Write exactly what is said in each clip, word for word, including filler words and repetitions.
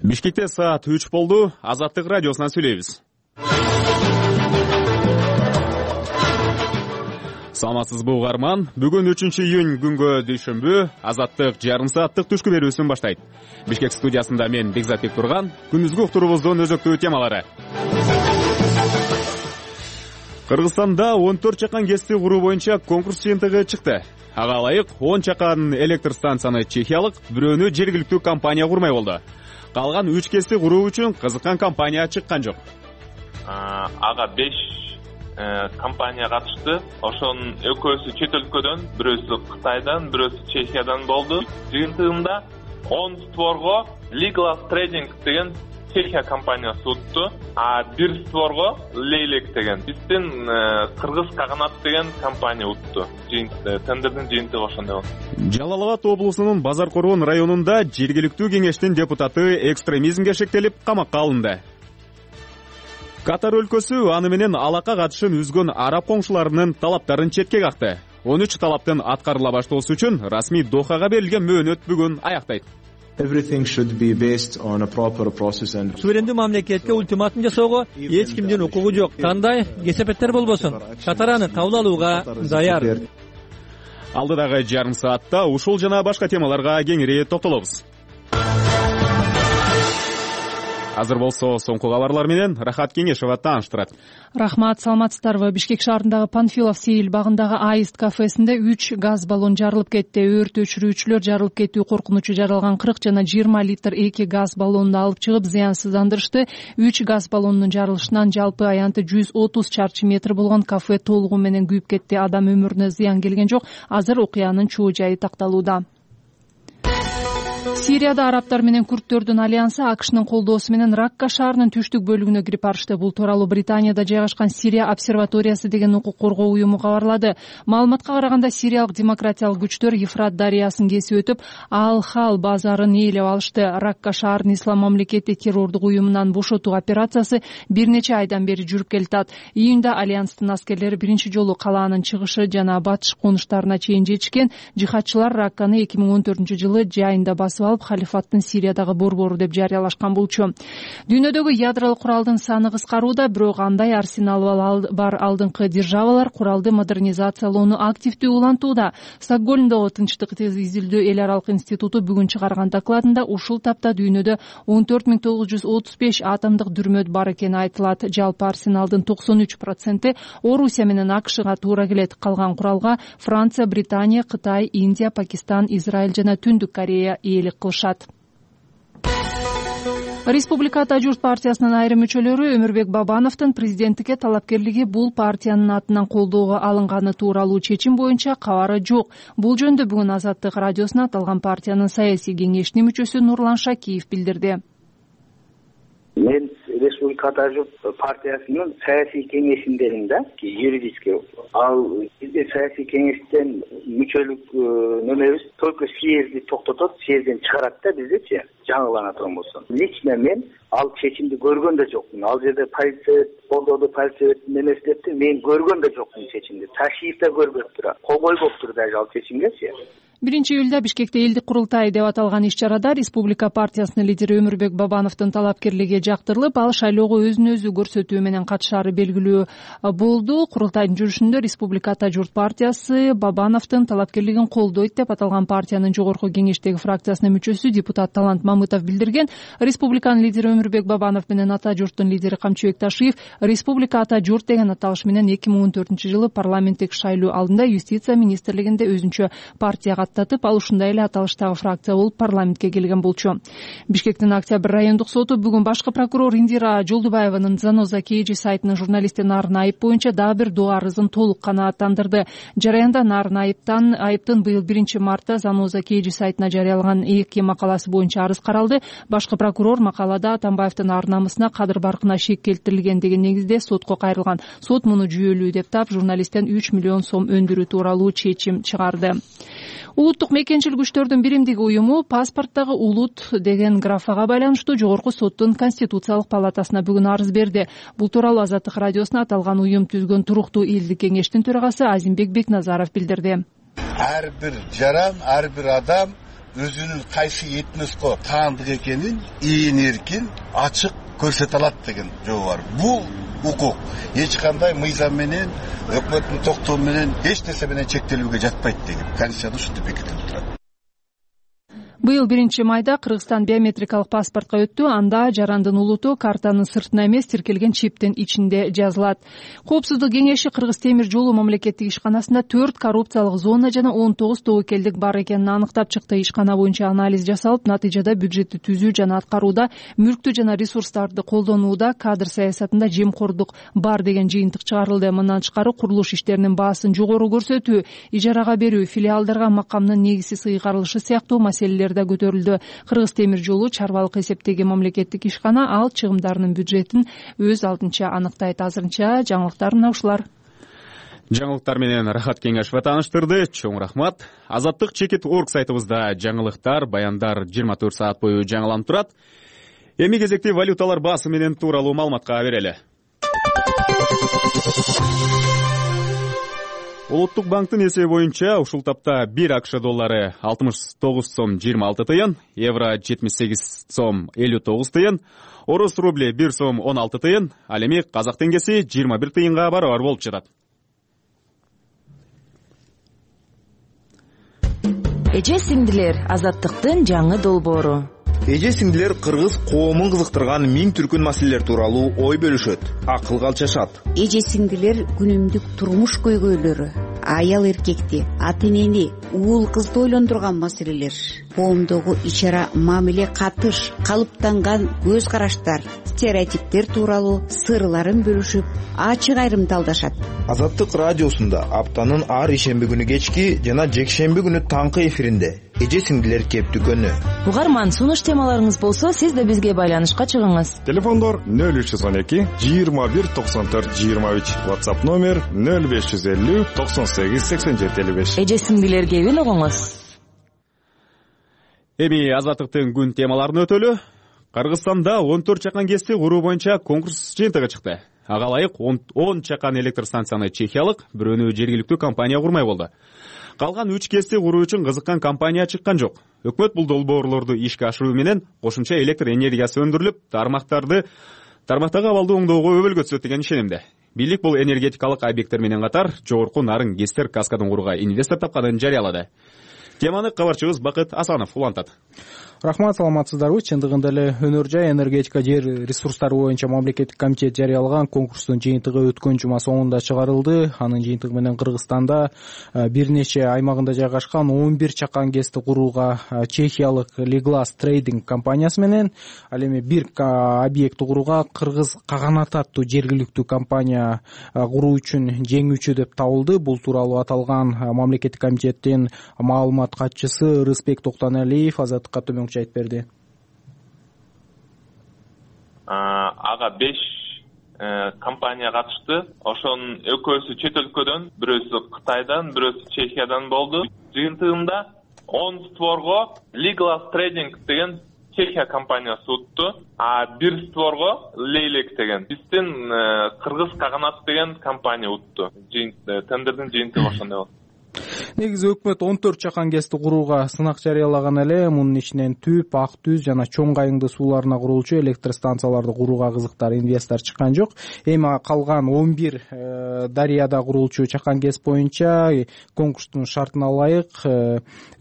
Бишкекте саат үч болду. Азаттык радиосунан сүйлөйбүз. Саламатсызбы угарман? Бүгүн үчүнчү июнь күнгө дүйшөмбү. Азаттык жарым сааттык түшкү берүүсүн баштайт. Бишкек студиясында мен Бекзатбек Турган. Күнүзгү уктуруубуздун өзөктүү темалары. Кыргызстанда он төрт чакан ГЭСти куруу боюнча конкурс жыйынтыгы чыкты. Ага ылайык он чакан электр станцияны чехиялык, бирөөнү жергиликтүү компания курмай болду. Калган үч ГЭСти куруу үчүн кызыккан компания чыккан жок. Ага беш компания катышты. Ошонун экөөсү чет өлкөдөн, бирөөсү Кытайдан, бирөөсү Чехиядан болду. Жыйынтыгында он створго Legal Trading деген Чехия компаниясы утту, а бир створго Leylek деген биздин Кыргыз Каганат деген компания утту. Тендердин жыйынтыгы ошондой болду. Жалал Абад облусунун Базар Коргон районунда жергиликтүү кеңештин депутаты экстремизмге шектелип камакка алынды. Катар өлкөсү аны менен алака катышын үзгөн араб коңшуларынын талаптарын четке какты. он үч талаптын аткарыла баштоосу үчүн расмий Дохага берилген мөөнөт бүгүн аяктайт. Everything should be based on a proper process and Суверендүү мамлекетке ультиматум жасоого эч кимдин укугу жок. Кандай кесепеттер болбосун, Катар аны кабыл алууга даяр. Алдыдагы жарым саатта ушул жана башка темаларга кеңири токтолобуз. Азыр болсо соңку кабарлар менен Рахат Кеңешова тааныштырат. Рахмат, саламатсыздарбы? Бишкек шаарындагы Панфилов Сейил багындагы Аист кафесинде үч газ баллон жарылып кетти. Өрт өчүрүүчүлөр жарылып кетүү коркунучу жаралган кырк жана жыйырма литр эки газ баллонун алып чыгып зыянсыздандырышты. үч газ баллонунун жарылышынан жалпы аянты жүз отуз чарчы метр болгон кафе толугу менен күйүп кетти. Адам өмүрүнө зыян келген жок. Азыр окуянын чоо жайы такталууда. Сирияда арабтар менен курдтөрдүн альянсы АКШнын колдоосу менен Ракка шаарынын түштүк бөлүгүнө кирип барышты. Бул тууралуу Британияда жайгашкан Сирия обсерваториясы деген укук коргоо уюму кабарлады. Маалыматка караганда сириялык демократиялык күчтөр Ефрат дарыясын кесип өтүп, Ал-Хал базарын ээлеп алышты. Ракка шаарын Ислам мамлекети террордук уюмунан бошотуу операциясы бир нече айдан бери жүрүп келатат. Июнда альянстын аскерлери биринчи жолу калаанын чыгышы жана батыш конуштарына чейин жетишкен. Жихадчылар Ракканы эки миң он төртүнчү жылы жайында басып алып, халифаттын Сириядагы борбору деп жарыялашкан болчу. Дүйнөдөгү ядролук куралдын саны кыскарууда, бирок андай арсеналы бар алдыңкы державалар куралды модернизациялоону активдүү улантууда. Стокгольмдогу Тынчтык изилдөө эл аралык институту бүгүн чыгарган докладында ушул тапта дүйнөдө он төрт миң тогуз жүз отуз беш атомдук дүрмөт бар экени айтылат. Жалпы арсеналдын токсон үч проценти Орусия менен АКШга туура келет. Калган куралга Франция, Британия, Кытай, Индия, Пакистан, Израиль жана Түндүк Корея ээлик кылышат. Республика Ата журт партиясынын айрым мүчөлөрү Өмүрбек Бабановдун президенттикке талапкерлиги бул партиянын атынан колдоого алынганы тууралуу чечим боюнча кабары жок. Бул жөнүндө бүгүн Азаттык радиосуна аталган партиянын саясий кеңешинин мүчөсү Нурлан Шакиев билдирди. Мен Республика Ата журт партиясынын саясий кеңешиндемин да, юридически. Ал бизде саясий кеңештен мүчөлүк нөмөрүбүз только съезди токтотот, съезден чыгарат да биздечи, жаңылана турмусун. Лично мен ал чечимди көргөн да жокмун. Ал жерде полиция колдоду, полиция эмес депти, мен көргөн да жокмун чечимди. Ташиев да көрбөптүр, кол койбоптур даже ал чечимгечи. биринчи июлда Бишкекте элдик курултай деп аталган иш-чарада Республика партиясынын лидери Өмүрбек Бабановдун талапкерлиги жактырылып, ал шайлоого өзүн өзү көрсөтүү менен катышаары белгилүү болду. Курултайдын жүрүшүндө Республика Ата журт партиясы Бабановдун талапкерлигин колдойт деп аталган партиянын жогорку кеңештеги фракциясынын мүчөсү депутат Талант Мамытов билдирген. Республиканын лидери Өмүрбек Бабанов менен Ата журттун лидери Камчыбек Ташиев Республика Ата журт деген аталыш менен эки миң он төртүнчү жылы парламенттик шайлоо алдында юстиция министрлигинде өзүнчө партияга аттатып, ал ушундай эле аталыштагы фракция болуп парламентке келген болчу. Бишкектин Октябрь райондук соту бүгүн башкы прокурор Индира Жолдубаеванын Заноза Кейджи сайтынын журналисти Нарын Айып боюнча дагы бир доо арызын толук канааттандырды. Жараянда Нарын Айыптан Айыптын быйыл биринчи мартта Заноза Кейджи сайтына жарыялаган эки макаласы боюнча арыз каралды. Башкы прокурор макалада Атамбаевдин ар намысына, кадыр баркына шек келтирилген деген негизде сотко кайрылган. Сот муну жүйөлүү деп таап, журналисттен үч миллион сом өндүрүү тууралуу чечим чыгарды. Улуттук мекенчил күчтөрдүн биримдиги уюму паспорттогу улут деген графага байланыштуу жогорку соттун Конституциялык палатасына бүгүн арыз берди. Бул тууралуу Азаттык радиосуна аталган уюм түзгөн туруктуу элдик кеңештин төрагасы Азимбек Бекназаров билдирди. Ар бир жаран, ар бир адам өзүнүн кайсы этноско таандык экенин ийин эркин ачык көрсөтө алат деген жобо бар. Бул укук эч кандай мыйзам менен, өкмөттүн токтоо менен, эч нерсе менен чектелүүгө жатпайт деген Конституцияда ушинтип бекитилип турат. Быйыл биринчи майда Кыргызстан биометрикалык паспортко өттү. Анда жарандын улуту картанын сыртына эмес, тиркелген чиптин ичинде жазылат. Коопсуздук кеңеши Кыргыз темир жолу мамлекеттик ишканасында төрт коррупциялык зона жана он тогуз тобокелдик бар экенин аныктап чыкты. Ишкана боюнча анализ жасалып, натыйжада бюджетти түзүү жана аткарууда, мүлктү жана ресурстарды колдонууда, кадр саясатында жемкордук бар деген жыйынтык чыгарылды. Мындан тышкары курулуш иштеринин баасын жогору көрсөтүү, ижарага берүү, филиалдарга макамдын негизсиз ыйгарылышы сыяктуу маселелер да көтөрүлдү. Кыргыз темир жолу чарбалык эсептеги мамлекеттик ишкана ал чыгымдарынын бюджетин өз алдынча аныктайт. Азырынча жаңылыктар мына ушулар. Жаңылыктар менен Рахат Кеңешова тааныштырды. Чоң рахмат. Азаттык чекит орг сайтыбызда жаңылыктар, баяндар жыйырма төрт саат бою жаңыланып турат. Эми кезекти валюталар баасы менен тууралуу маалыматка берели. Улуттук банктын эсеби боюнча ушул тапта бир АКШ доллары алтымыш тогуз сом жыйырма алты тыйын, евро жетимиш сегиз сом элүү тогуз тыйын, орус рубли бир сом он алты тыйын, ал эми казак теңгеси жыйырма бир тыйынга барабар болуп жатат. Эже сиңдилер, азаттыктын жаңы долбоору. Эже сиңдилер кыргыз коомун кызыктырган миң түркүн маселелер тууралуу ой бөлүшөт, акыл калчашат. Эже сиңдилер күнүмдүк турмуш көйгөйлөрү, аял эркекти, ата энени, уул кызды ойлондурган маселелер, коомдогу ичара мамиле катыш, калыптанган көз караштар, стереотиптер тууралуу сырларын бөлүшүп, ачык айрымталдашат. Азаттык радиосунда аптанын ар ишемби күнү кечки жана жекшемби күнү таңкы эфиринде эже сиңдилер кептүкөнү. Угарман, сунуш темаларыңыз болсо, сиз да бизге байланышка чыгыңыз. Телефондор нөл үч жүз он эки жыйырма бир токсон төрт жыйырма үч, WhatsApp номер нөл беш жүз элүү токсон сегиз сексен жети элүү беш. Эже сиңдилер кебин угуңуз. Эми азаттыктын күн темаларын өтөлү. Кыргызстанда он төрт чакан кести куруу боюнча конкурс жыйынтыгы чыкты. Ага ылайык он чакан электр станцияны чехиялык, бирөөнү жергиликтүү компания курмай болду. Калган үч кести куруу үчүн кызыккан компания чыккан жок. Өкмөт бул долбоорлорду ишке ашыруу менен кошумча электр энергиясы өндүрүлүп, тармактарды тармактагы абалды оңдоого өбөлгө түзөт деген ишенимде. Бийлик бул энергетикалык объекттер менен катар жогорку нарын ГЭСтер каскадын курууга инвестор тапканын жарыялады. Теманы кабарчыбыз Бакыт Асанов улантат. Рахмат, саламатсыздарбы? Чындыгында эле Өнөр жай энергетика жер ресурстары боюнча мамлекеттик комитет жарыялаган конкурстун жыйынтыгы өткөн жума соңунда чыгарылды. Анын жыйынтыгы менен Кыргызстанда бир нече аймагында жайгашкан он бир чакан кести курууга чехиялык Liglas Trading компаниясы менен, ал эми бир объектти курууга Кыргыз Каганат аттуу жергиликтүү компания куруу үчүн жеңүүчү деп табылды. Бул тууралуу аталган мамлекеттик комитеттин маалымат катчысы Рыспек Токтоналиев Азаттыкка төмөн айтып берди. Ага беш компания катышты. Ошонун экөөсү чет өлкөдөн, бирөөсү Кытайдан, бирөөсү Чехиядан болду. Жыйынтыгында он створго Liglas Trading деген Чехия компаниясы утту, а бир створго Leylek деген биздин Кыргыз Каганат деген компания утту. Тендердин жыйынтыгы ошондой болду. Негизи өкмөт он төрт чакан кести курууга сынак жарыялаган эле. Мунун ичинен Түп, Ак Түз жана Чоң Кайыңды сууларына курулчу электр станцияларды курууга кызыктар инвестор чыккан жок. Эми калган он бир дарыяда курулчу чакан кес боюнча конкурстун шартына ылайык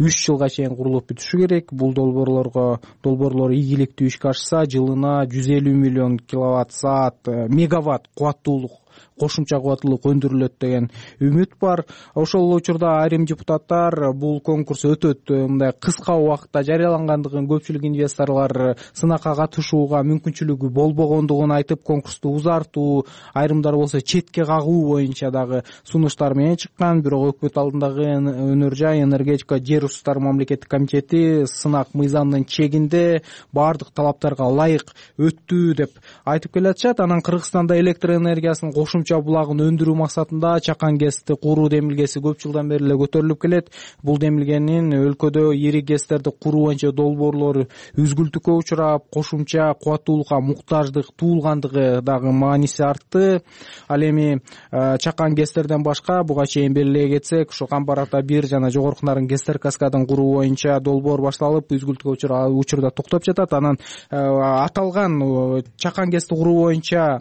үч жылга чейин курулуп бүтүшү керек. Бул долбоорлорго долбоорлор ийгиликтүү ишке ашса, жылына жүз элүү миллион киловатт саат мегаватт кубаттуулук кошумча кубаттуулук өндүрүлөт деген үмүт бар. Ошол учурда айрым депутаттар бул конкурс өтөт, мындай кыска убакытта жарыялангандыгын, көпчүлүк инвесторлор сынакка катышууга мүмкүнчүлүгү болбогондугун айтып, конкурсту узартуу, айрымдар болсо четке кагуу боюнча дагы сунуштар менен чыккан. Бирок өкмөт алдындагы Өнөр жай энергетика жер ресурстары мамлекеттик комитети сынак мыйзамдын чегинде баардык талаптарга ылайык өттү деп айтып келатышат. Анан Кыргызстанда электр энергиясынын кошумча кошумча булагын өндүрүү максатында чакан гэсти куруу демилгеси көп жылдан бери эле көтөрүлүп келет. Бул демилгенин өлкөдө ири гэстерди куруу боюнча долбоорлору үзгүлтүккө учурап, кошумча кубаттуулукка муктаждык туулгандыгы дагы мааниси артты. Ал эми чакан гэстерден башка буга чейин белгилей кетсек, ушу Камбар Ата бир жана Жогорку Нарын гэстер каскадын куруу боюнча долбоор башталып, үзгүлтүккө учурда токтоп жатат. Анан аталган чакан гэсти куруу боюнча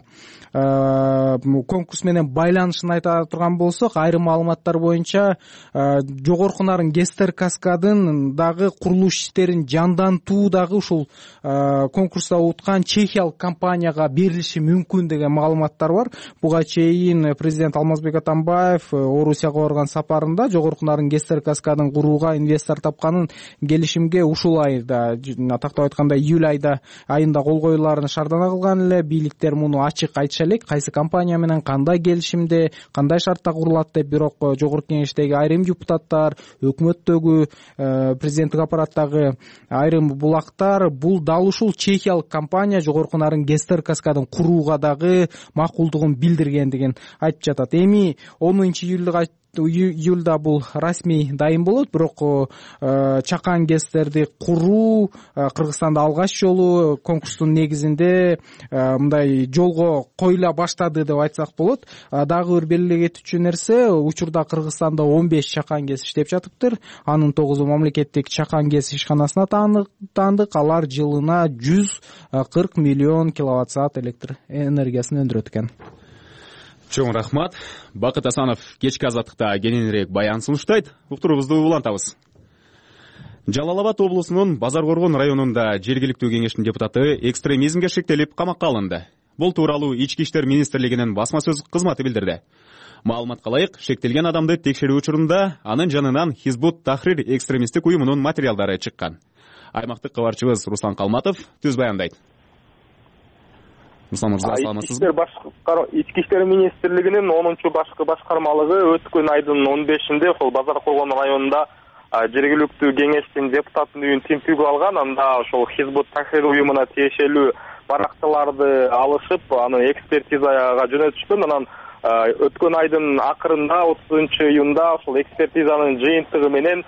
конкурс менен байланышын айта турган болсок, айрым маалыматтар боюнча Жогорку Нарын гэстер каскадын дагы курулуш иштерин жандантуу дагы ушул конкурста уткан чехиялык компанияга берилиши мүмкүн деген маалыматтар бар. Буга чейин президент Алмазбек Атамбаев Орусияга барган сапарында Жогорку Нарын гэстер каскадын курууга инвестор тапканын келишимге ушул айда, тактап айтканда июль айда айында кол коюларын шаардана кылган эле. Бийликтер муну ачык айтыша элек, кайсы компания менен кандай келишимде, кандай шартта курулат деп. Бирок жогорку кеңештеги айрым депутаттар, өкмөттөгү, президенттик аппараттагы айрым булактар бул дал ушул чехиялык компания Жогорку Нарын гэстер каскадын курууга дагы макулдугун билдиргендигин айтып жатат. Эми онунчу июлда бул расмий дайым болот, бирок чакан гэстерди куруу Кыргызстанда алгач жолу конкурстун негизинде мындай жолго коюла баштады деп айтсак болот. Дагы бир белгилей кетүүчү нерсе, учурда Кыргызстанда он беш чакан гэс иштеп жатыптыр. Анын тогузу мамлекеттик чакан гэс ишканасына таандык. Алар жылына жүз кырк миллион киловатт саат электр энергиясын өндүрөт экен. Чоң рахмат. Бакыт Асанов кечки азаттыкта кененирээк баян сунуштайт. Уктуруубузду улантабыз. Жалал Абад облусунун Базар Коргон районунда жергиликтүү кеңештин депутаты экстремизмге шектелип камакка алынды. Бул тууралуу Ички иштер министрлигинин басма сөз кызматы билдирди. Маалыматка ылайык, шектелген адамды текшерүү учурунда анын жанынан Хизбут Тахрир экстремисттик уюмунун материалдары чыккан. Аймактык кабарчыбыз Руслан Калматов түз баяндайт. Руслан мырза, саламатсызбы? Ички иштер министрлигинин онунчу башкы башкармалыгы өткөн айдын он бешинде ошол Базар Коргон районунда жергиликтүү кеңештин депутатынын үйүн тинтүүгө алган. Анда ошол Хизбут Тахрир уюмуна тиешелүү баракчаларды алышып, аны экспертизага жөнөтүшкөн. Анан өткөн айдын акырында отузунчу июнда ошол экспертизанын жыйынтыгы менен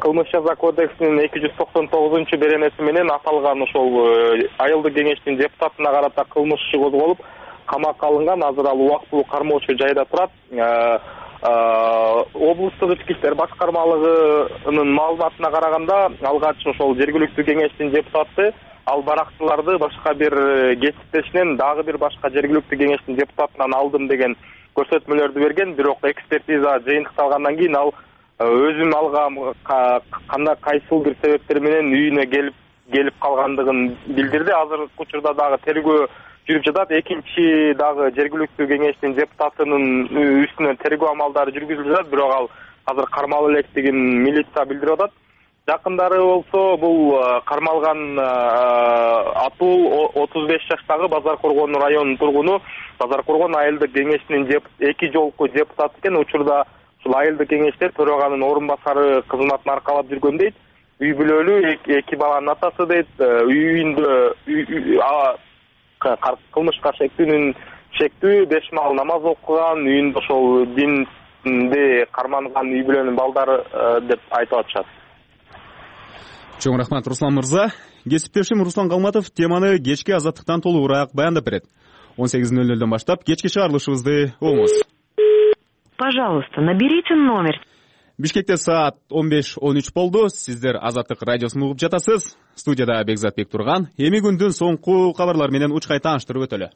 кылмыш жаза кодексинин эки жүз токсон тогузунчу беренеси менен аталган ошол айылдык кеңештин депутатына карата кылмыш иши козголуп, камакка алынган. Азыр ал убактылуу кармоочу жайда турат. Облустук ички иштер башкармалыгынын маалыматына караганда, алгач ошол жергиликтүү кеңештин депутаты ал баракчыларды башка бир кесиптешинен дагы бир башка жергиликтүү кеңештин депутатынан алдым деген көрсөтмөлөрдү берген. Бирок экспертиза жыйынтыкталгандан кийин ал өзүм алгам кандай кайсыл бир себептер менен үйүнө келип келип калгандыгын билдирди. Азыркы учурда дагы тергөө жүрүп жатат. Экинчи дагы жергиликтүү кеңештин депутатынын үстүнөн тергөө амалдары жүргүзүлүп жатат, бирок ал азыр кармалып электигин милиция билдирип атат. Жакындары болсо бул кармалган Атул отуз беш жаштагы Базар Коргон районунун тургуну, Базар Коргон айылдык кеңешинин эки жолку депутаты экен. Учурда ушул айылдык кеңеште төраганын орун басары кызматын аркалап жүргөн дейт. Үй бүлөлүү, эки баланын атасы дейт. Үйүндө кылмышка шектүүнүн шектүү, беш маал намаз окуган, үйүндө ошол динди карманган үй бүлөнүн балдары деп айтып атышат. Чоң рахмат, Руслан мырза. Кесиптешим Руслан Калматов теманы кечки азаттыктан толугураак баяндап берет. он сегиз ноль нөлдөн баштап кечки чыгарылышыбызды угуңуз. Пожалуйста, наберите номер. Бишкекте саат он беш он үч болду. Сиздер Азаттык радиосун угуп жатасыз. Студияда Бекзатбек турган. Эми күндүн соңку кабарлар менен учкай тааныштырып өтөлү.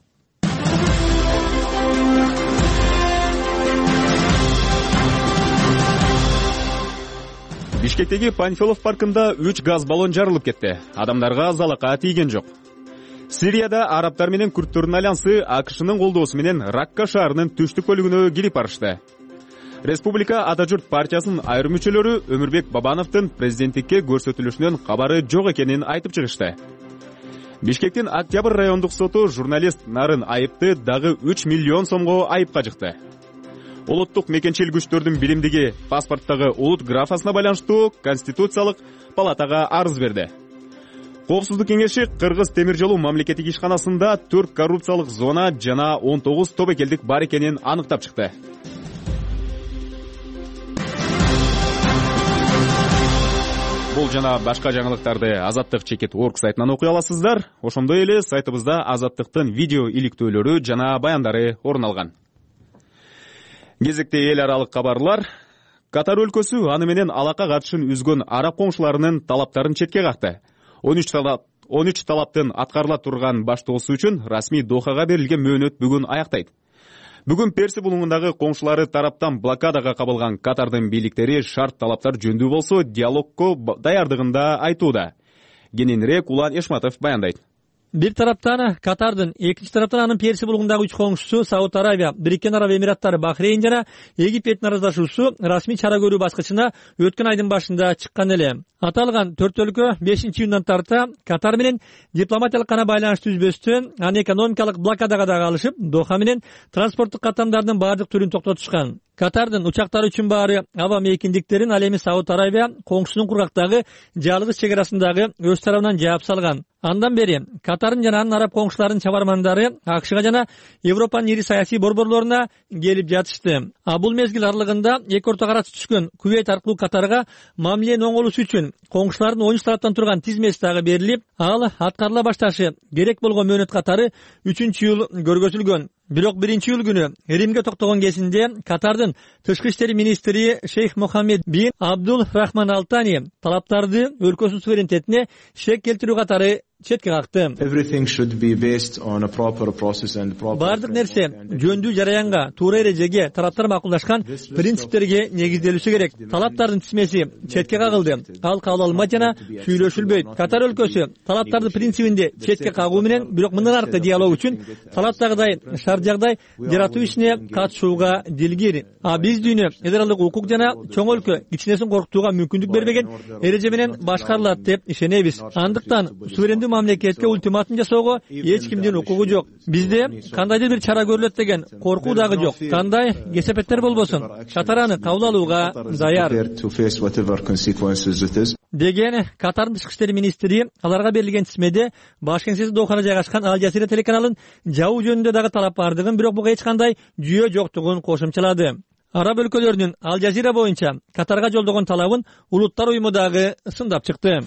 Бишкектеги Панфилов паркында үч газ баллон жарылып кетти. Адамдарга залака тийген жок. Сирияда арабтар менен күрттөрдүн альянсы АКШнын колдоосу менен Ракка шаарынын түштүк бөлүгүнө кирип барышты. Республика Ата журт партиясынын айрым мүчөлөрү Өмүрбек Бабановдун президенттикке көрсөтүлүшүнөн кабары жок экенин айтып чыгышты. Бишкектин Октябрь райондук соту журналист Нарын Айыпты дагы үч миллион сомго айыпка жыкты. Улуттук мекенчил күчтөрдүн биримдиги паспорттогу улут графасына байланыштуу Конституциялык палатага арыз берди. Коопсуздук кеңеши Кыргыз темир жолу мамлекеттик ишканасында төрт коррупциялык зона жана он тогуз тобокелдик бар экенин аныктап чыкты. Бул жана башка жаңылыктарды Азаттык чекит орг сайтынан окуй аласыздар. Ошондой эле сайтыбызда Азаттыктын видео иликтөөлөрү жана баяндары орун алган. Кезекте эл аралык кабарлар. Катар өлкөсү аны менен алака катышын үзгөн араб коңшуларынын талаптарын четке какты. он үч талаптын аткарыла турган баштоосу үчүн расмий Дохага берилген мөөнөт бүгүн аяктайт. Бүгүн Перси булуңундагы коңшулары тараптан блокадага кабылган Катардын бийликтери шарт талаптар жөндүү болсо диалогко даярдыгында айтууда. Кененирээк Улан Эшматов баяндайт. Бир тараптан Катардын, экинчи тараптан анын Перси булуңундагы үч коңшусу Сауд Арабия, Бириккен Араб Эмираттары, Бахрейн жана Египеттин араздашуусу расмий чара көрүү баскычына өткөн айдын башында чыккан эле. Аталган төрт өлкө бешинчи июндан тарта Катар менен дипломатиялык гана байланыш түзбөстөн, аны экономикалык блокадага да калышып, Доха менен транспорттук каттамдардын бардык түрүн токтотушкан. Катардын учактары үчүн баары аба мейкиндиктерин ал эми Сауд Арабия коңшусунун кургактагы жалгыз чек арасындагы өз тарабынан жаап салган. Андан бери Катардын жана анын араб коңшуларынын чабармандары АКШга жана Европанын ири саясий борборлоруна келип жатышты. А бул мезгил аралыгында эки орто карасы түшкөн Кувейт аркылуу Катарга мамиленин оңолуусу үчүн коңшулардын он үч тараптан турган тизмеси дагы берилип, ал аткарыла башташы керек болгон мөөнөт катары үчүнчү июль көргөзүлгөн. Бирок биринчи июль күнү Римге токтогон кезинде Катардын тышкы иштер министри Шейх Мохаммед бин Абдул Рахман Алтани талаптарды өлкөсүнүн суверенитетине шек келтирүү катары четке какты. Бардык нерсе жөндүү жараянга, туура эрежеге, тараптар макулдашкан принциптерге негизделүүсү керек. Талаптардын тизмеси четке кагылды. Ал кабыл алынбайт жана сүйлөшүлбөйт. Катар өлкөсү талаптарды принцибинде четке кагуу менен, бирок мындан аркы диалог үчүн талаптагыдай шарт жагдай жаратуу ишине катышууга дилгир. А биз дүйнө федералдык укук жана чоң өлкө кичинесин коркутууга мүмкүндүк бербеген эреже менен башкарылат деп ишенебиз. Андыктан суверендүү мамлекетке ультиматум жасоого эч кимдин укугу жок. Бизде кандайдыр бир чара көрүлөт деген коркуу дагы жок. Кандай кесепеттер болбосун, Катар аны кабыл алууга даяр деген Катардын тышкы иштер министри аларга берилген тизмеде баш кеңсеси Дохада жайгашкан Ал Жазира телеканалын жабуу жөнүндө дагы талап бардыгын, бирок буга эч кандай жүйө жоктугун кошумчалады. Араб өлкөлөрүнүн Ал Жазира боюнча Катарга жолдогон талабын Улуттар уюму дагы сындап чыкты.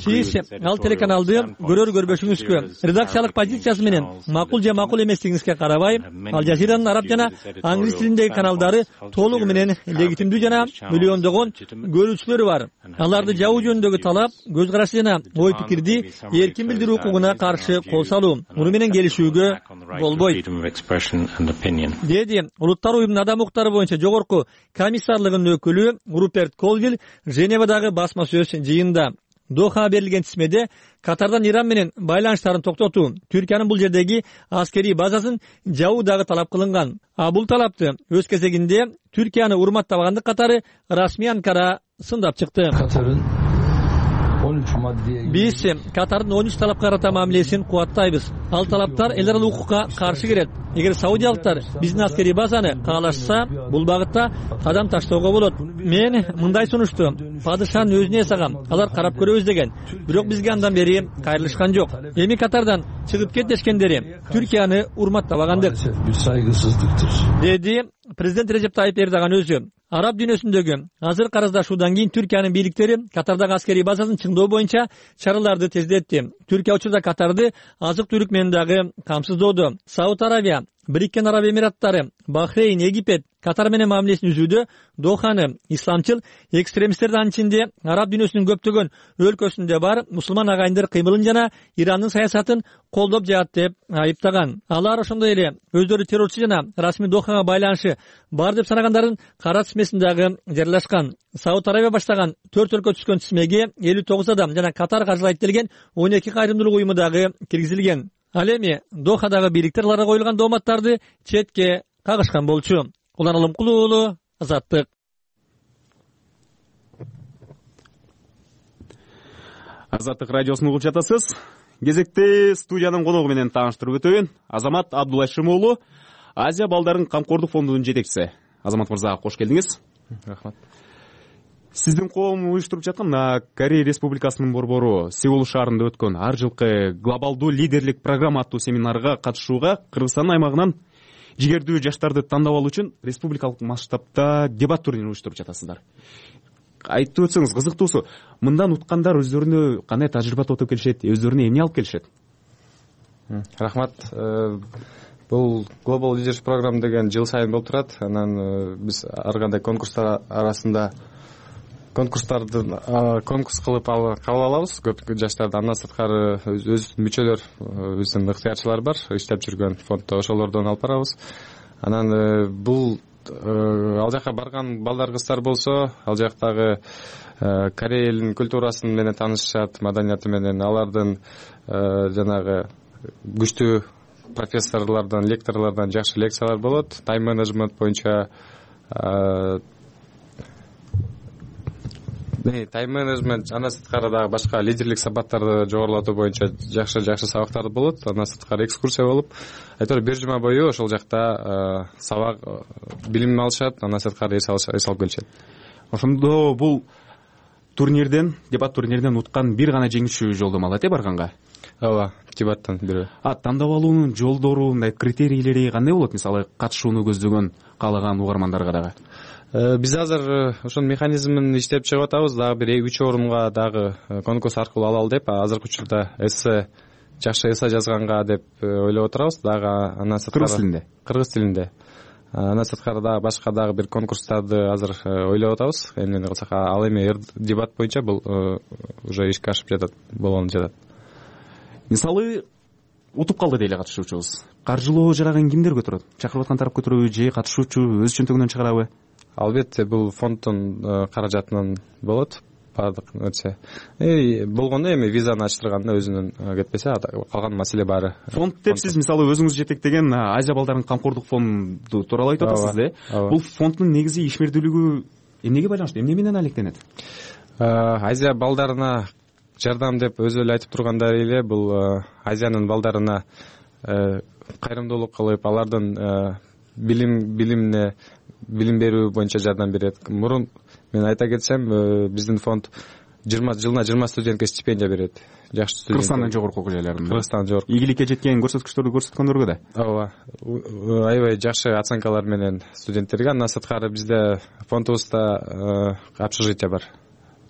Сиз ал телеканалды көрөр көрбөшүңүзгө, редакциялык позициясы менен макул же макул эместигиңизге карабай, Ал Жазиранын араб жана англис тилиндеги каналдары толугу менен легитимдүү жана миллиондогон көрүүчүлөрү бар. Аларды жабуу жөнүндөгү талап көз карашы жана ой пикирди эркин билдирүү укугуна каршы кол салуу, муну менен келишүүгө болбойт, деди Улуттар уюмунун адам укуктары боюнча жогорку комиссарлыгынын өкүлү Руперт Колвилл Женевадагы басма сөз жыйында. Доха берилген тизмеде Катардан Иран менен байланыштарын токтотуу, Түркиянын бул жердеги аскерий базасын жабуу дагы талап кылынган. А бул талапты өз кезегинде Түркияны урматтабагандык катары расмий Анкара сындап чыкты. Биз Катардын он үч талапка карата мамилесин кубаттайбыз. Ал талаптар эл аралык укукка каршы келет. Эгер саудиялыктар биздин аскерий базаны каалашса, бул багытта кадам таштоого болот. Мен мындай сунушту падышанын өзүнө эсагам, алар карап көрөбүз деген. Бирок бизге андан бери кайрылышкан жок. Эми Катардан чыгып кет дешкендери Түркияны урматтабагандык, деди президент Режеп Тайип Эрдоган өзү. Араб дүйнөсүндөгү азыр караздашуудан кийин Түркиянын бийликтери Катардагы аскерий базасын чыңдоо боюнча чараларды тездетти. Түркия учурда Катарды азык-түлүк менен дагы камсыздоодо. Сауд Арабия, Бириккен Араб Эмираттары, Бахрейн, Египет Катар менен мамилесин үзүүдө Доханы исламчыл экстремисттердин анын ичинде араб дүйнөсүнүн көптөгөн өлкөсүндө бар мусулман агайындар кыймылын жана Ирандын саясатын колдоп жатат деп айыптаган. Алар ошондой эле өздөрү террорчу жана расмий Дохага байланышы бар деп санагандардын кара тизмесин дагы жарыялашкан. Сауд Арабия баштаган төрт өлкө түшкөн тизмеге элүү тогуз адам жана Катар каржылайт делген он эки кайрымдуулук уюму дагы киргизилген. Ал эми Дохадагы бийликтер аларга коюлган дооматтарды четке кагышкан болчу. Улан Алымкулуу уулу, Азаттык. Азаттык радиосун угуп жатасыз. Кезекте студиянын коногу менен тааныштырып өтөйүн. Азамат Абдулайшим уулу, Азия балдарын камкордук фондунун жетекчиси. Азамат мырза, кош келдиңиз. Рахмат. сиздин коом уюштуруп жаткан Корея Республикасынын борбору Сеул шаарында өткөн ар жылкы глобалдуу лидерлик программа аттуу семинарга катышууга Кыргызстан аймагынан жигердүү жаштарды тандап алуу үчүн республикалык масштабта дебат турнирин уюштуруп жатасыздар. Айтып өтсөңүз, кызыктуусу, мындан уткандар өздөрүнө кандай тажрыйба тотуп келишет, өздөрүнө эмне алып келишет? Рахмат. Бул Global Leadership Program деген жыл сайын болуп турат. Анан биз ар кандай конкурстар арасында конкурстарды конкурс кылып кабыл алабыз. Көп жаштарды андан сырткары өз мүчөлөр, биздин ыктыярчылар бар, иштеп жүргөн фонддо, ошолордон алып барабыз. Анан бул ал жака барган балдар, кыздар болсо, ал жактагы Корея элинин культурасын менен таанышышат, маданияты менен, алардын жанагы күчтүү профессорлордон, лекторлордон жакшы лекциялар болот. Тайм менеджмент боюнча тайм менеджмент, андан сырткары дагы башка лидерлик сабактарды жогорулатуу боюнча жакшы жакшы сабактар болот. Андан сырткары экскурсия болуп, айтор бир жума бою ошол жакта сабак, билим алышат, андан сырткары эс алып келишет. Ошондо бул турнирден, дебат турниринен уткан бир гана жеңүүчү жолдомо алат э барганга? Ооба, дебаттан бири. А тандап алуунун жолдору, мындай критерийлери кандай болот? Мисалы, катышууну көздөгөн, каалаган угармандарга дагы. Биз азыр ошонун механизмин иштеп чыгып атабыз. Дагы бир үч орунга дагы конкурс аркылуу алалы деп, азыркы учурда эссе, жакшы эссе жазганга деп ойлоп отурабыз. Дагы андан сырткары кыргыз тилинде. Кыргыз тилинде. Андан сырткары дагы башка дагы бир конкурстарды азыр ойлоп атабыз. Эмне кылсак, ал эми дебат боюнча бул уже ишке ашып жатат, болгону жатат. Мисалы, утуп калды дейли катышуучубуз. Каржылоо жарагын кимдер көтөрөт? Чакырып аткан тарап көтөрөбү же катышуучу өз чөнтөгүнөн чыгарабы? Албетте, бул фонддун каражатынан болот. Бардык нерсе. Э, болгондо эми визаны ачтырганда өзүнүн кетпесе, калган маселе баары. Фонд деп сиз мисалы өзүңүз жетектеген Азия балдарын камкордук фонду тууралуу айтып атасыз да? Бул фонддун негизи ишмердүүлүгү эмнеге байланыштуу? Эмне менен алектенет? Азия балдарына жардам деп өзү эле айтып тургандай эле, бул Азиянын балдарына кайрымдуулук кылып, алардын билим билимине билим берүү боюнча жардам берет. Мурун мен айта кетсем, биздин фонд жыйырма жылына жыйырма студентке стипендия берет. Жакшы студент. Кыргызстандын жогорку окуу жайларында. Кыргызстандын жогорку. Ийгиликке жеткен көрсөткүчтөрдү көрсөткөндөргө да. Ооба. Аябай жакшы оценкалар менен студенттерге. Андан сырткары бизде фондубузда общежитие бар.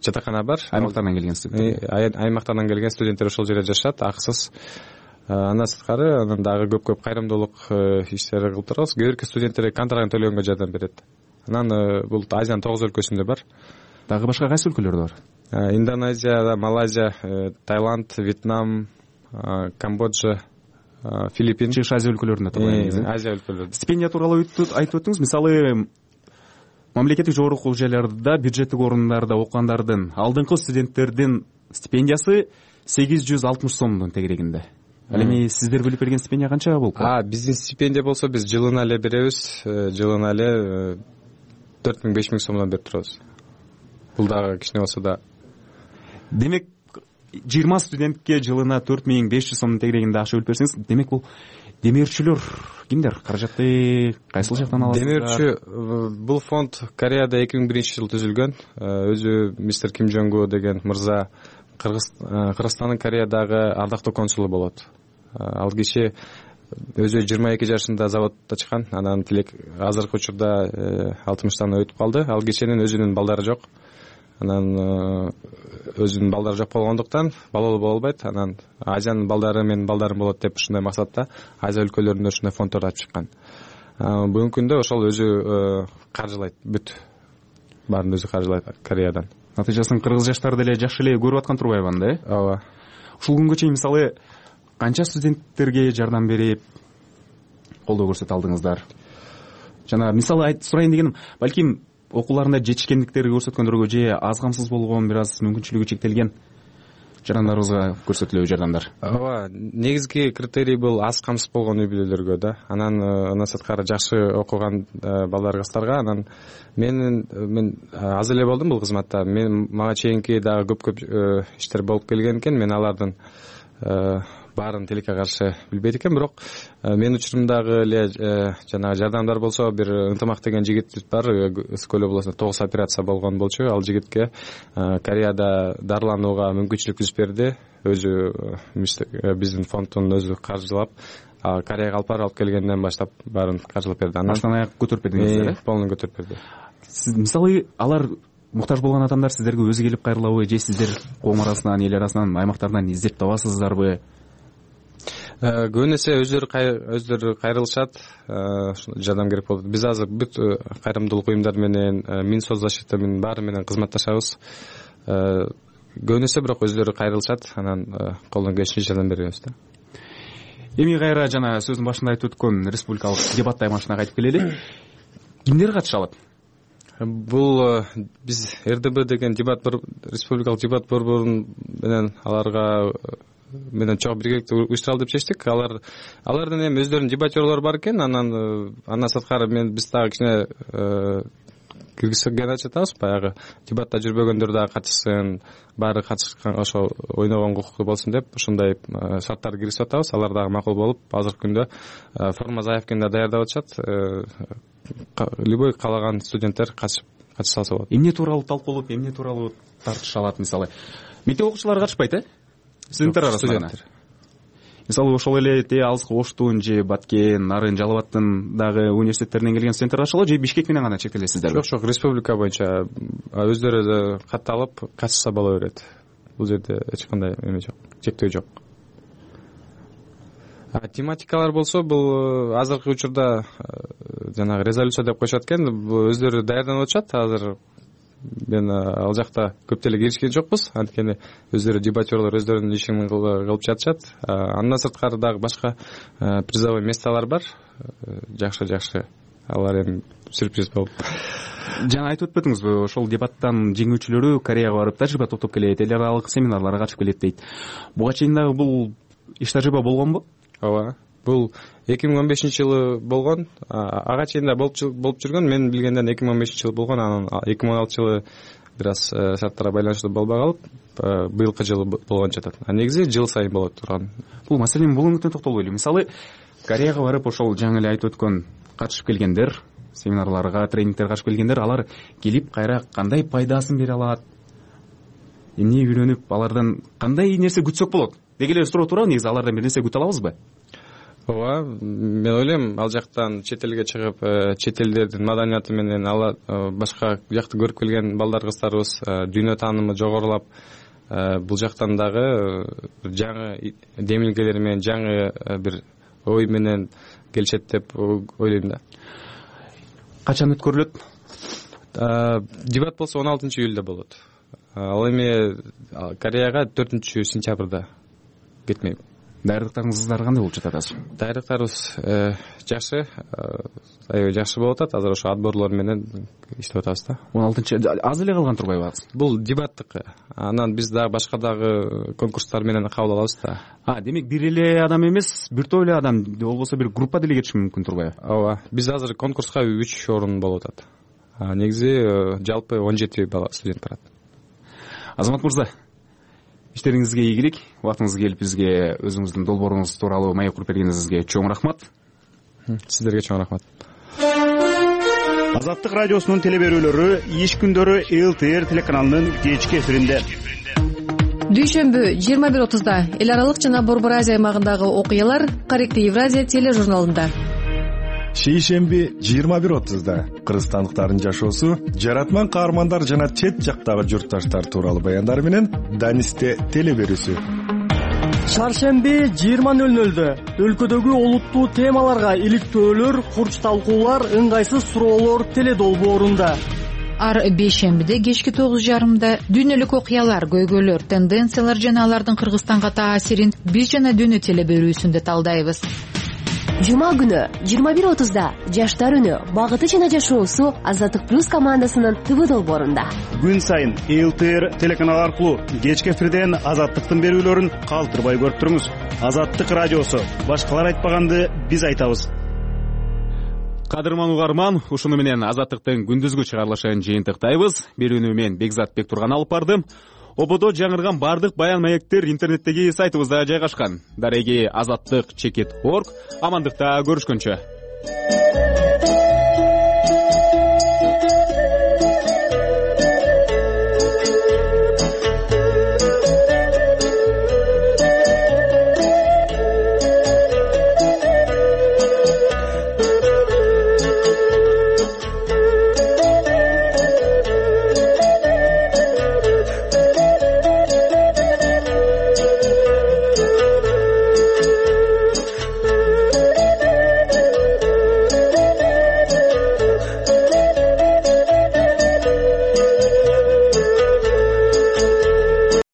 Жатакана бар. Аймактардан келген студенттер. Аймактардан келген студенттер ошол жерде жашашат, акысыз. Андан сырткары анан дагы көп-көп кайрымдуулук иштери кылып турабыз. Көбүркө студенттерге контрагын төлөгөнгө жардам берет. Анан бул Азиянын тогуз өлкөсүндө бар. Дагы башка кайсы өлкөлөрдө бар? Индонезия, Малайзия, Таиланд, Вьетнам, Камбоджа, Филиппин. Чыгыш Азия өлкөлөрүндө турат. Азия өлкөлөрүндө. Стипендия тууралуу айтып өттүңүз. Мисалы, мамлекеттик жогорку окуу жайларда, бюджеттик орундарда окугандардын алдыңкы студенттердин стипендиясы сегиз жүз алтымыш сомдун тегерегинде. Ал эми сиздер бөлүп берген стипендия канча болуп калат? А, биздин стипендия болсо биз жылына эле беребиз. Жылына эле төрт миң беш миң сомдон берип турабыз. Бул дагы кичине болсо да. Демек, жыйырма студентке жылына төрт миң беш жүз сомдун тегерегинде акча бөлүп берсеңиз, демек бул демеушүлөр кимдер? Каражатты кайсыл жактан аласыздар? Демеушү бул фонд Кореяда эки миң биринчи жылы түзүлгөн. Өзү мистер Ким Жонгу деген мырза Кыргызстандын Кореядагы ардактуу консулу болот. Ал киши өзү жыйырма эки жашында заводдо чыккан, анан тилек азыркы учурда алтымыштан өтүп калды. Ал кишинин өзүнүн балдары жок. Анан өзүнүн балдары жок болгондуктан балалуу боло албайт. Анан Азиянын балдары менин балдарым болот деп ушундай максатта Азия өлкөлөрүндө ушундай фонддорду ачып чыккан. Бүгүнкү күндө ошол өзү каржылайт, бүт баарын өзү каржылайт Кореядан. Натыйжасын кыргыз жаштары деле жакшы эле көрүп аткан турбайбы анда, э? Ооба. Ушул күнгө чейин мисалы канча студенттерге жардам берип, колдоо көрсөтө алдыңыздар? Жана мисалы сурайын дегеним, балким окууларында жетишкендиктерди көрсөткөндөргө же аз камсыз болгон, бир аз мүмкүнчүлүгү чектелген жарандарыбызга көрсөтүлөбү жардамдар? Ооба, негизги критерий бул аз камсыз болгон үй бүлөлөргө да. Анан андан сырткары жакшы окуган балдар, кыздарга. Анан мен мен аз эле болдум бул кызматта. Мен мага чейинки дагы көп-көп иштер болуп келген экен. Мен алардын баарын тилекке каршы билбейт экен, бирок менин учурумдагы эле жанагы жардамдар болсо, бир Ынтымак деген жигит бар, Өскөл облусунда тогуз операция болгон болчу. Ал жигитке Кореяда дарыланууга мүмкүнчүлүк түзүп берди, өзү биздин фонддун өзү каржылап. Кореяга алып барып алып келгенден баштап баарын каржылап берди. Баштан аяк көтөрүп бердиңиздер э? Полный көтөрүп берди. Сиз мисалы алар муктаж болгон адамдар сиздерге өзү келип кайрылабы, же сиздер коом арасынан, эл арасынан, аймактардан издеп табасыздарбы? Көбүн эсе өздөрү өздөрү кайрылышат, жардам керек болот. Биз азыр бүт кайрымдуулук уюмдар менен, Минсоцзащита менен баары менен кызматташабыз. Көбүн эсе бирок өздөрү кайрылышат, анан колдон келишинче жардам беребиз да. Эми кайра жана сөздүн башында айтып өткөн республикалык дебат аймагына кайтып келели. Кимдер катыша алат? Бул биз эр дэ бэ деген дебат республикалык дебат борбору менен аларга менен чогуу биргеликте уюштуралы деп чечтик. Алар алардын эми өздөрүнүн дебатерлору бар экен. Анан андан сырткары мен биз дагы кичине киргизген жатабыз. Баягы дебатта жүрбөгөндөр дагы катышсын, баары катышкан ошо ойногон укуктуу болсун деп ушундай шарттарды киргизип атабыз. Алар дагы макул болуп, азыркы күндө форма заявканы да даярдап атышат. Любой каалаган студенттер катышып катыша алса болот. Эмне тууралуу талкуулуп, эмне тууралуу тартыша алат? Мисалы, мектеп окуучулары катышпайт э? Студенттер арасында. Мисалы, ошол эле те алыскы Оштун же Баткен, Нарын, Жалал Абадтын дагы университеттеринен келген студенттер катышалбы, же Бишкек менен гана чектелесиздерби? Жок, жок, республика боюнча өздөрү катталып катышса боло берет. Бул жерде эч кандай эме жок, чектөө жок. Тематикалар болсо, бул азыркы учурда жанагы резолюция деп коюшат экен, бул өздөрү даярданып атышат. Азыр мен ал жакта көп деле киришкен жокпуз, анткени өздөрү дебатерлор өздөрүнүн ишин кылып жатышат. Андан сырткары дагы башка призовой месталар бар. Жакшы жакшы, алар эми сюрприз болуп. Жана айтып өтпөдүңүзбү, ошол дебаттан жеңүүчүлөрү Кореяга барып тажрыйба топтоп келет, эл аралык семинарларга катышып келет дейт. Буга чейин дагы бул иш тажрыйба болгонбу? Ооба. Бул эки миң он бешинчи жылы болгон. Ага чейин да болуп жүргөн. Мен билгенден эки миң он бешинчи жылы болгон. Анан эки миң он алтынчы жылы бир аз шарттарга байланыштуу болбой калып, быйылкы жылы болгон жатат. А негизи жыл сайын болот турган. Бул маселенин бул үмүтүнө токтолойлу. Мисалы, Кореяга барып ошол жаңы эле айтып өткөн катышып келгендер, семинарларга, тренингтерге катышып келгендер, алар келип кайра кандай пайдасын бере алат? Эмне үйрөнүп, алардан кандай нерсе күтсөк болот? Деги эле суроо туурабы, негизи алардан бир нерсе күтө алабызбы? Ооба, мен ойлойм, ал жактан чет элге чыгып, чет элдердин маданияты менен ала башка жакты көрүп келген балдар кыздарыбыз дүйнө таанымы жогорулап, бул жактан дагы жаңы демилгелер менен, жаңы бир ой менен келишет деп ойлойм да. Качан өткөрүлөт? Дебат болсо он алтынчы июлда болот. Ал эми Кореяга төртүнчү сентябрда кетмек. Даярдыктарыңыздар кандай болуп жатат азыр? Даярдыктарыбыз жакшы, аябай жакшы болуп атат. Азыр ошо отборлор менен иштеп атабыз да. он алтынчы аз эле калган турбайбы азыр? Бул дебаттык. Анан биз дагы башка дагы конкурстар менен кабыл алабыз да. А, демек бир эле адам эмес, биртөө эле адам, болбосо бир группа деле кетиши мүмкүн турбайбы? Ооба. Биз азыр конкурска үч орун болуп атат. Негизи жалпы он жети бала студент барат. Азамат мырза, иштериңизге ийгилик, убактыңыз келип бизге өзүңүздүн долбооруңуз тууралуу маек куруп бергениңизге чоң рахмат. Сиздерге чоң рахмат. Азаттык радиосунун теле берүүлөрү иш күндөрү эл тэ эр телеканалынын кечки эфиринде. Дүйшөмбү жыйырма бир отузда эл аралык жана Борбор Азия аймагындагы окуялар Корректив Евразия тележурналында. Шейшемби жыйырма бир отузда кыргызстандыктардын жашоосу, жаратман каармандар жана чет жактагы журтташтар тууралуу баяндар менен Данисте теле берүүсү. Чаршемби жыйырма нөл нөлдө өлкөдөгү олуттуу темаларга иликтөөлөр, курч талкуулар, ыңгайсыз суроолор теле долбоорунда. Ар бейшембиде кечки тогуз жарымда дүйнөлүк окуялар, көйгөйлөр, тенденциялар жана алардын Кыргызстанга таасирин биз жана дүйнө теле берүүсүндө талдайбыз. Жума күнү жыйырма бир отузда жаштар үнү, багыты жана жашоосу Азаттык плюс командасынын ТВ долбоорунда. Күн сайын эл тэ эр телеканалы аркылуу кечки эфирден Азаттыктын берүүлөрүн калтырбай көрүп туруңуз. Азаттык радиосу, башкалар айтпаганды биз айтабыз. Кадырман угарман, ушуну менен Азаттыктын күндүзгү чыгарылышын жыйынтыктайбыз. Берүүнү мен Бекзат Бектурган алып бардым. ободо жаңырган бардык баян маектер интернеттеги сайтыбызда жайгашкан. Дареги азаттык чекит точка орг. Амандыкта көрүшкөнчө.